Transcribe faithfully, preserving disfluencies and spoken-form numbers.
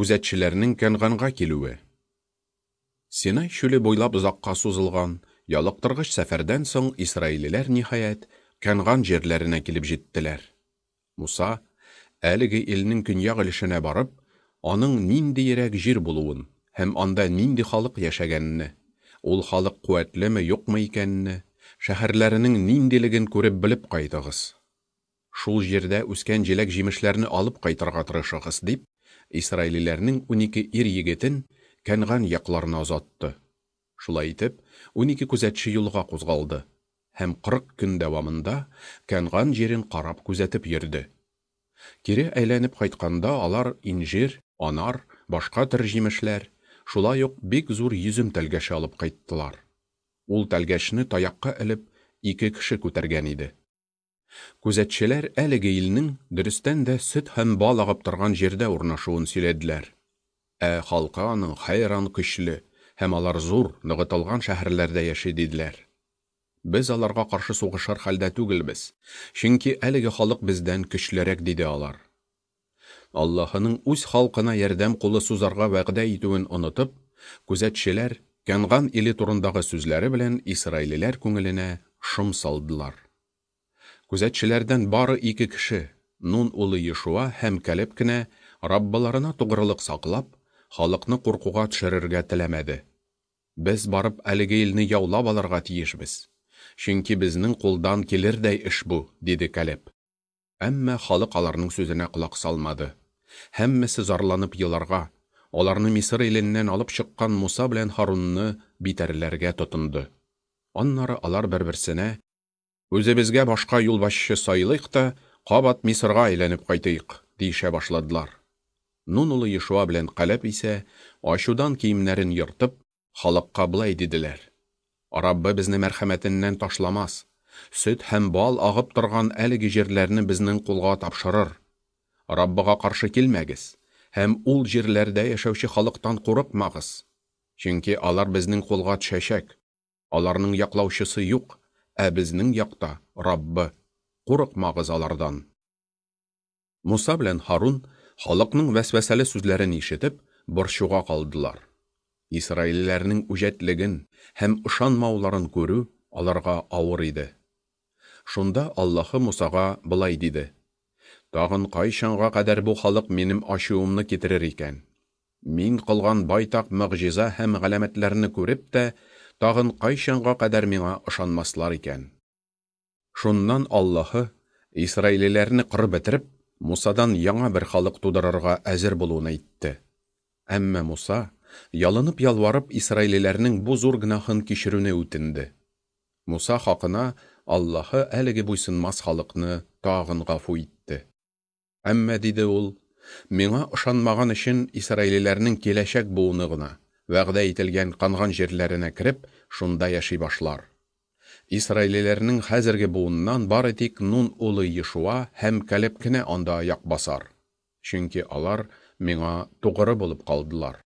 Күзәтчеләрнең Кәнганга килүе. Синай чүле буйлап озакка сузылган, ялыктыргыч сәфәрдән соң исраилиләр, ниһаять, Кәнган җирләренә килеп җиттеләр. Муса, әлеге илнең көньяк өлешенә барып, аның ниндиерәк җир булуын һәм анда нинди халык яшәгәнне, ул халык куәтлеме, юкмы икәнне, шәһәрләренең ниндилеген күреп белеп кайтыгыз. Шул җирдә үскән җиләк-җимешләрне алып кайтырга тырышыгыз, дип, исраилиләрнең унике ир-егетен Кәнган якларына озатты. Шулай итеп, унике күзәтче юлга кузгалды һәм кырык көн дәвамында Кәнган җирен карап күзәтеп йөрде. Кире әйләнеп кайтканда алар инҗир, анар, башка төр җимешләр, шулай ук бик зур йөзем тәлгәше алып кайттылар. Ул тәлгәшне таякка элеп, ике кеше күтәргән иде. Күзәтчеләр әлеге илнең дөрестән дә сөт һәм бал агып торган җирдә урнашуын сөйләделәр. Ә халкы аның хәйран көчле һәм алар зур, ныгытылган шәһәрләрдә яши, диделәр. Без аларга каршы сугышыр хәлдә түгелбез, чөнки әлеге халык бездән көчлерәк, диде алар. Аллаһының үз халкына ярдәм кулы сузарга вәгъдә итүен онытып, күзәтчеләр Кәнган иле турындагы сүзләре белән исраилиләр күңеленә шом салдылар. Күзәтчеләрдән бары ике кеше, Нун улы Ешуа һәм Калеб кенә, Раббыларына тугрылык саклап, халыкны куркуга төшерергә теләмәде. Без барып әлеге илне яулап алырга тиешбез, чөнки безнең кулдан килердәй эш бу, диде Калеб. Әмма халык аларның сүзенә колак салмады. Һәммәсе зарланып еларга, аларны Мисыр иленнән алып чыккан Муса белән Һарунны битәрләргә тотынды. Аннары алар бер-берсенә: Үзебезгә башка юлбашчы сайлыйк та, кабат Мисырга әйләнеп кайтыйк, диешә башладылар. Нун улы Ешуа белән Калеб исә, ачудан киемнәрен ертып, халыкка болай диделәр: Раббы безне мәрхәмәтеннән ташламас, сөт һәм бал агып торган әлеге җирләрне безнең кулга тапшырыр. Раббыга каршы килмәгез һәм ул җирләрдә яшәүче халыктан курыкмагыз, чөнки алар безнең кулга төшәчәк. Аларның яклаучысы юк, ә безнең якта Раббы. Курыкмагыз алардан. Муса белән Һарун халыкның вәсвәсәле сүзләрен ишетеп, борчуга калдылар. Исраилиләрнең үҗәтлеген һәм ышанмауларын күрү аларга авыр иде. Шунда Аллаһы Мусага болай диде: Тагын кайчанга кадәр бу халык минем ачуымны китерер икән? Мин кылган байтак могҗиза һәм галәмәтләрне күреп тә, тагын кайчанга кадәр миңа ышанмаслар икән? Шуннан Аллаһы исраилиләрне кырып бетереп, Мусадан яңа бер халык тудырырга әзер булуын әйтте. Әмма Муса, ялынып ялварып, исраилиләрнең бу зур гөнаһын кичерүне үтенде. Муса хакына Аллаһы әлеге буйсынмас халыкны тагын гафу итте. Әмма, диде ул, миңа ышанмаган өчен исраилиләрнең киләчәк буыны гына вәгъдә ителгән Канган җирләренә кереп, шунда яши башлар. Исраилиләрнең хәзерге буыннан бары тик Нун улы Ешуа һәм Калеб кенә анда аяк басар, чөнки алар миңа тугры булып калдылар.